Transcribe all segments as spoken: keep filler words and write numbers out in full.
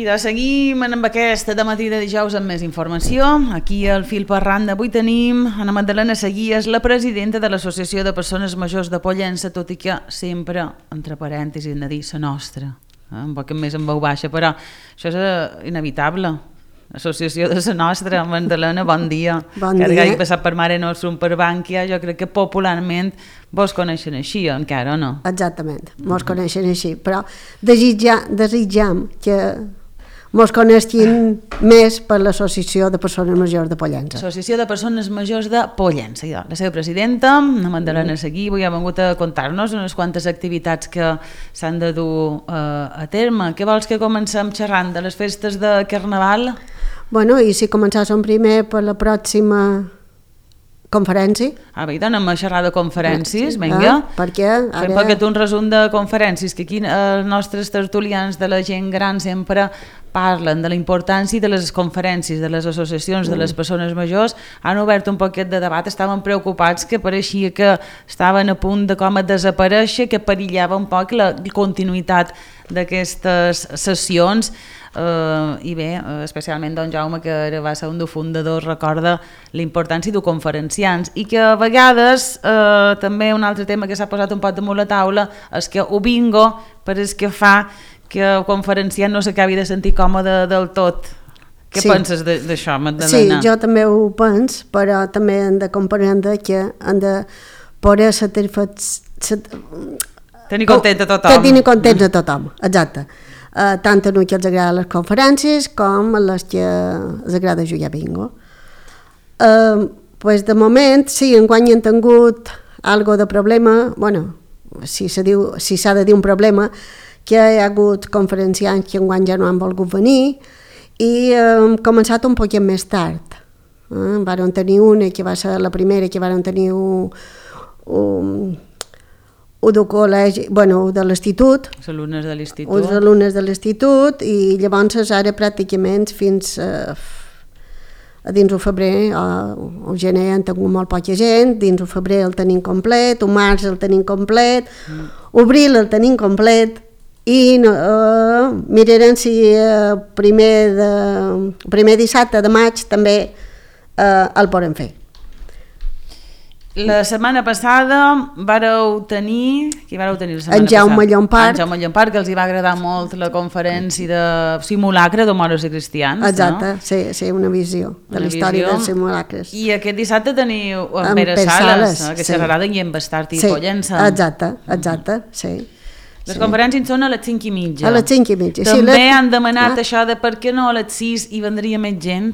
I de seguim amb aquesta de matí de dijous amb més informació. Aquí al fil per randa avui tenim Ana Magdalena Seguies, la presidenta de l'Associació de Persones Majors de Pollença, tot i que sempre, entre parèntesis, hem de dir la nostra, eh? Un poc més en veu baixa, però això és inevitable. Associació de la nostra, Magdalena, bon dia. Bon dia. Que ara he passat per Mare Nostrum, per Bànquia, jo crec que popularment vos coneixen així, encara, o no? Exactament, mos mm-hmm. coneixen així, però desitja, desitjam que mos coneixin més per l'Associació de Persones Majors de Pollença. Associació de Persones Majors de Pollença. La seva presidenta, la Magdalena Seguí, avui ha vingut a contar-nos unes quantes activitats que s'han de dur eh, a terme. Què vols que comencem xerrant de les festes de Carnaval? Bueno, i si començàssim primer per la pròxima conferència. Ah, bé, anem a xerrar de conferències, vinga. Ah, perquè ara... Fem poquet un resum de conferències, que aquí els nostres tertulians de la gent gran sempre parlen de la importància de les conferències, de les associacions, de les persones majors. Han obert un poquet de debat, estaven preocupats que pareixia que estaven a punt de com a desaparèixer, que perillava un poc la continuïtat d'aquestes sessions. Uh, i bé, uh, especialment don Jaume, que ara va ser un dels fundadors, recorda la importància de conferenciants, i que a vegades uh, també un altre tema que s'ha posat un poc damunt la taula és que ho bingo per és que fa que el conferenciant no s'acabi de sentir còmode del tot. Què sí. penses d'això, Magdalena? Sí, jo també ho pens, però també hem de comprendre que hem de poder satisfer... tenir content a tothom. Tenir content a tothom, exacte. Uh, tant a els que els agrada les conferències com a les que els agrada jugar bingo. Uh, pues de moment, sí, enguany hem tingut algo de problema, bueno, si s'ha diu, si s'ha de dir un problema, que hi ha hagut conferenciants que enguany ja no han volgut venir i hem començat un poquet més tard. Uh, varen tenir una que va ser la primera, que varen tenir un... un o del col·legi, bueno, de l'institut, els alumnes de l'institut, els alumnes de l'institut, i llavors ara pràcticament fins a, a dins el febrer o el gener han tingut molt poca gent, dins el febrer el tenim complet, el març el tenim complet, mm. abril el tenim complet, i no, uh, mirarem si uh, primer, de, primer dissabte de maig també uh, el podem fer. La setmana passada vareu tenir... Qui vareu tenir la setmana en Jaume passada? Llompart. En Jaume Llompart, que els hi va agradar molt la conferència de simulacre de moros i cristians. Exacte, no? sí, sí, una visió de una la història visió. Dels simulacres. I aquest dissabte teniu en Pere Sales, eh, que sí. xerrarà de Guillem Bastart i sí. Pollença. Exacte, exacte, sí. Les sí. conferències són a les cinc i mitja. A les cinc i mitja. També sí, la... han demanat ah. això de per què no a les sis hi vendria més gent.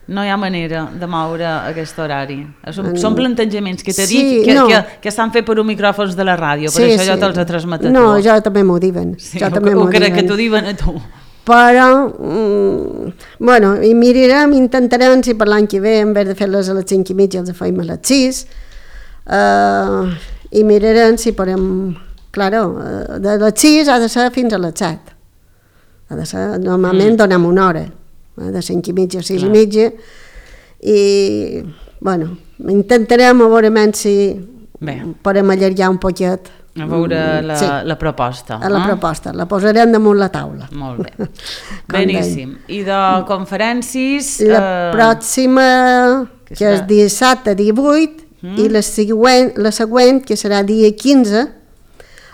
No hi ha manera de moure aquest horari. Són, mm. són plantejaments que t'he sí, dit que, no. que, que estan fet per un micròfons de la ràdio, per sí, això sí. jo te'ls he transmet a tu. No, jo també m'ho diuen. Sí, jo ho, també ho m'ho crec diuen. que t'ho diuen a tu. Però, mm, bueno, i mirarem, intentarem si per l'any que ve, en vez de fer-les a les cinc i mitja, els feim a les sis, uh, i mirarem si podem... Claro, de les sis ha de ser fins a les set. Ha de ser, normalment mm. donem una hora. de cinc i mitja a sis i mitja, i bueno, intentarem a veure si Bé. podem allargar un poquet a veure la, sí. la proposta. A la eh? proposta, la posarem damunt la taula. Molt bé, beníssim. I de conferències... La eh... pròxima, que, que és dissabte divuit, mm. i la següent, la següent, que serà dia quinze,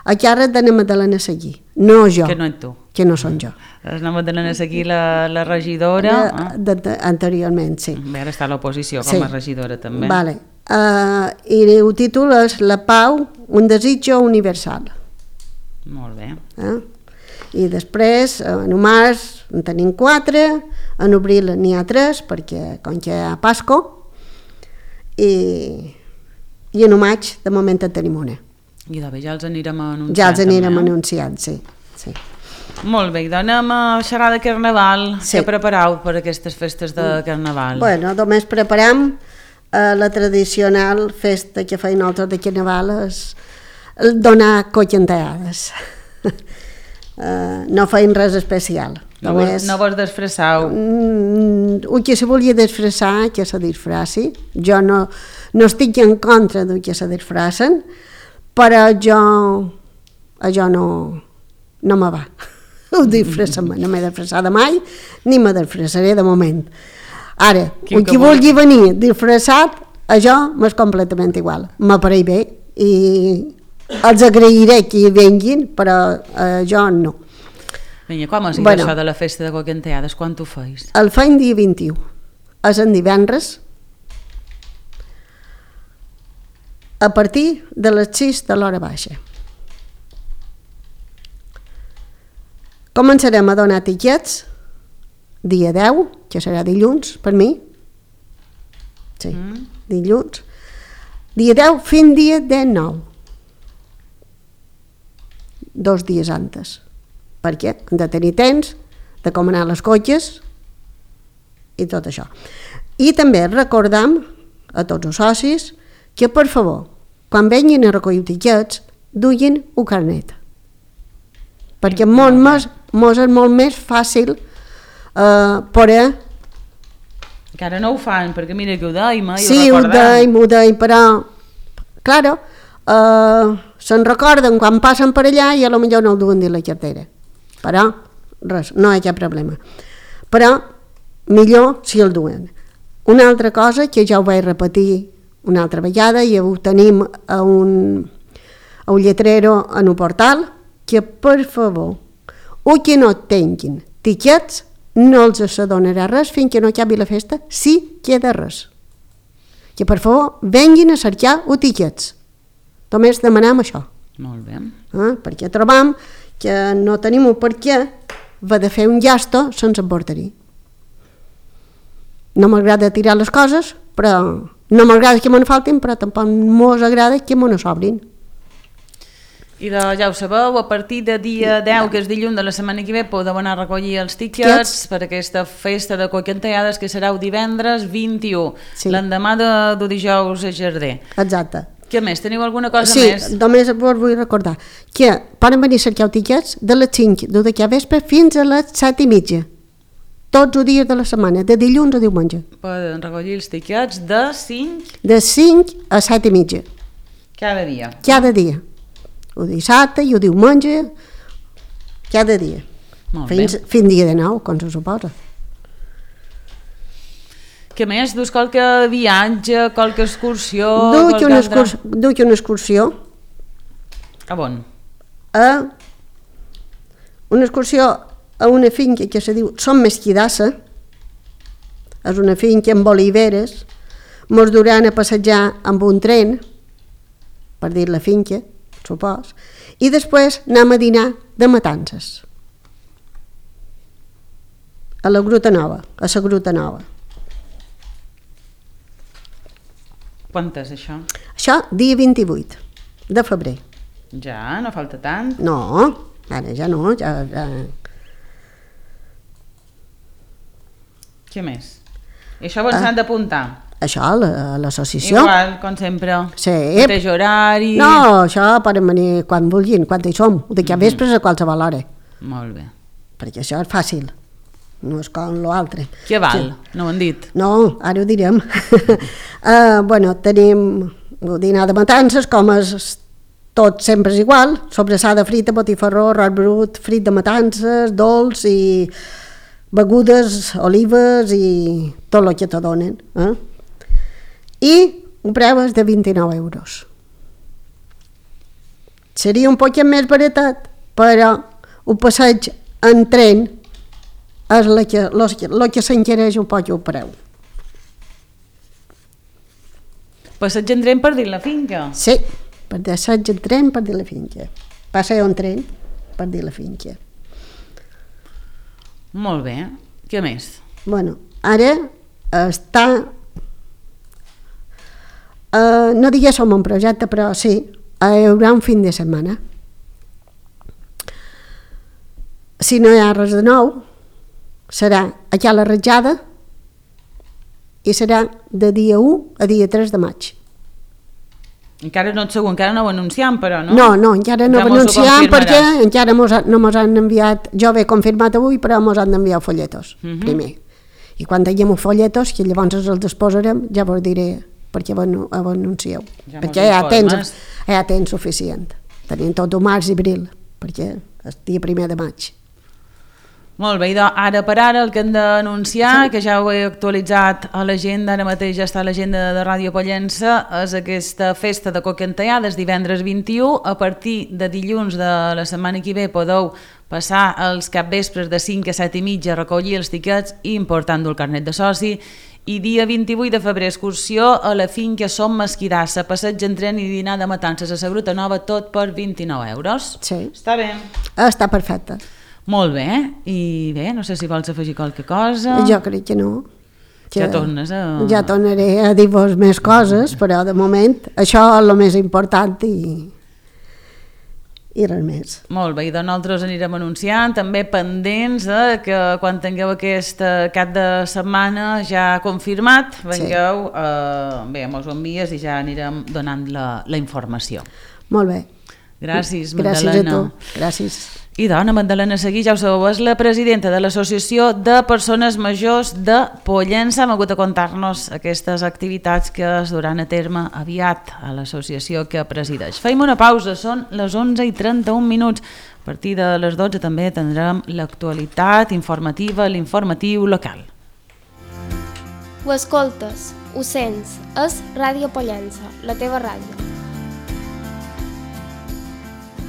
a càrrec de la Magdalena Seguí. No jo. Que no ets tu. Que no som jo. És la Magdalena Seguí, la, la regidora. De, de, de, anteriorment, sí. Bé, ara està a l'oposició com a sí. regidora també. Vale. Uh, I el títol és La pau, un desitjo universal. Molt bé. Uh? I després, en març en tenim quatre, en abril n'hi ha tres, perquè com que hi ha Pasco, i, i en maig de moment en tenim una. I de bé, ja els anirem anunciant. Ja els anirem també, anunciant, sí. sí. Molt bé, doncs anem a xerrar de Carnaval. Sí. Què prepareu per aquestes festes de Carnaval? Bueno, només preparam eh, la tradicional festa que feien nosaltres de Carnaval, és donar coquenteades. uh, no feien res especial. No, només, vos, no vos disfressau? Mm, el que se volia disfressar, que se disfressi. Jo no, no estic en contra del que se disfressen, però jo, jo no, no me va. ho disfressa-me, no m'he disfressada mai, ni me disfressaré de moment. Ara, Quin qui que vulgui venir disfressat, això m'és completament igual, m'apareix bé i els agrairé que hi venguin, però eh, jo no. Vinga, com és Bueno. això de la festa de Coquenteades? Quan ho feis? El feim dia vint-i-u, és en divendres, a partir de les sis de l'hora baixa. Començarem a donar tiquets dia deu, que serà dilluns per mi. Sí, mm. dilluns. Dia deu fins dia dinou. Dos dies antes. Perquè hem de tenir temps de com anar les cotxes i tot això. I també recordam a tots els socis que, per favor, quan venguin a recollir tiquets, duguin un carnet. Perquè mos, mos, mos és molt més fàcil eh, poder... Que ara no ho fan, perquè mira que ho deim, eh? Sí, ho deim, ho deim, però... Claro, eh, se'n recorden quan passen per allà i a lo millor no ho duen dins la cartera. Però, res, no hi ha cap problema. Però, millor si el duen. Una altra cosa que ja ho vaig repetir una altra vegada i ho tenim a un, a un lletrero en un portal, que per favor, o que no tinguin tiquets, no els s'adonarà res fins que no acabi la festa, si queda res. Que per favor venguin a cercar o tiquets. Només demanem això. Molt bé. Eh? Perquè trobam que no tenim un per què va de fer un gasto sense portar-hi. No m'agrada tirar les coses, però no m'agrada que me'n faltin, però tampoc mos agrada que me'n sobrin. I de, ja ho sabeu, a partir de dia deu, que és dilluns de la setmana que ve, podeu anar a recollir els tiquets Tiquets. per aquesta festa de Coquenteades, que serà el divendres vint-i-u, Sí. l'endemà de, de dijous a Jardí. Exacte. Què més? Teniu alguna cosa Sí, més? només vos vull recordar que poden venir a cercar tiquets de les cinc de d'aquí a vespre fins a les set i mitja. Tots els dies de la setmana, de dilluns a diumenge. Poden recollir els tiquets de cinc De cinc a set i mitja, cada dia. cada dia. O dissabte i o diumenge, cada dia. Molt Fins, bé. fins dia de nou, com se suposa. Què més? Dus qualque viatge, qualque excursió? Duc qualque una, altra- excurs, duc una excursió A on? a una excursió a una finca que se diu Som Mesquidassa. És una finca amb oliveres. Mos duran a passejar amb un tren, per dir la finca, supos, i després anem a dinar de matances. A la Gruta Nova, a la Gruta Nova. Quan és això? Això, dia vint-i-vuit de febrer. Ja, no falta tant. No, ara ja no, ja... ja. Què més? I això on s'han d'apuntar? Això, a la- a l'associació. Igual, com sempre. Sí. Mateix horari. No, això poden venir quan vulguin, quan hi som, d'aquí a vespres a qualsevol hora, Molt bé. perquè això és fàcil, no és com l'altre. Què val? No ho han dit. No, ara ho direm. uh, bueno, tenim el dinar de matances, com és tot sempre és igual, sobrassada frita, botifarró, arròs brut, frit de matances, dolç i begudes, olives i tot el que te donen. Eh? I un preu és de vint-i-nou euros. Seria un poc més baratat, però un passeig en tren és el que, el que s'encareix un poc el preu. Passeig en tren per dir la finca. Sí, per passeig en tren per dir la finca. Passeig en tren per dir la finca. Molt bé. Què més? Bueno, ara està... Uh, no digués som un projecte, però sí, hi haurà un fin de setmana. Si no hi ha res de nou, serà aquí a la Ratjada i serà de dia u a dia tres de maig. Encara no et segur, encara no ho anunciam, però, no? No, no, encara no Ja ho mos ho anunciam perquè confirmaràs. encara mos, ha- no mos han enviat, jo ho he confirmat avui, però mos han d'enviar folletos, Mhm. primer. I quan tinguem els folletos, que llavors els disposarem, ja vos diré perquè ho anu- ho anuncieu. Ja mos perquè hi ha, temps, informes. hi ha temps suficient. Tenim tot el març i abril, perquè és dia primer de maig. Molt bé, i doncs ara per ara el que hem d'anunciar, sí. que ja ho he actualitzat a l'agenda, ara mateix ja està a l'agenda de Ràdio Pollença, és aquesta festa de Coquentaiades divendres vint-i-u. A partir de dilluns de la setmana que ve podeu passar els capvespres de cinc a set i mitja a recollir els tiquets i important-ho el carnet de soci. I dia vint-i-vuit de febrer, excursió a la finca Som Mesquidassa, passeig en tren i dinar de matances a la Gruta Nova, tot per vint-i-nou euros. Sí. Està bé? Està perfecte. Molt bé, i bé, no sé si vols afegir qualque cosa. Jo crec que no. Que ja tornes a... Ja tornaré a dir-vos més coses, però de moment això és el més important i... i res més. Molt bé, i doncs nosaltres anirem anunciant, també pendents eh, que quan tingueu aquest cap de setmana ja confirmat, vengueu, sí. eh, bé, mos ho envies i ja anirem donant la, la informació. Molt bé. Gràcies, Magdalena. Gràcies a tu. Gràcies. I dona, Magdalena Seguí, ja ho sabeu, és la presidenta de l'Associació de Persones Majors de Pollença. Hem hagut de contar-nos aquestes activitats que es duran a terme aviat a l'associació que presideix. Feim una pausa, són les onze i trenta-un minuts. A partir de les dotze també tindrem l'actualitat informativa, l'informatiu local. Ho escoltes, ho sents, és Ràdio Pollença, la teva ràdio.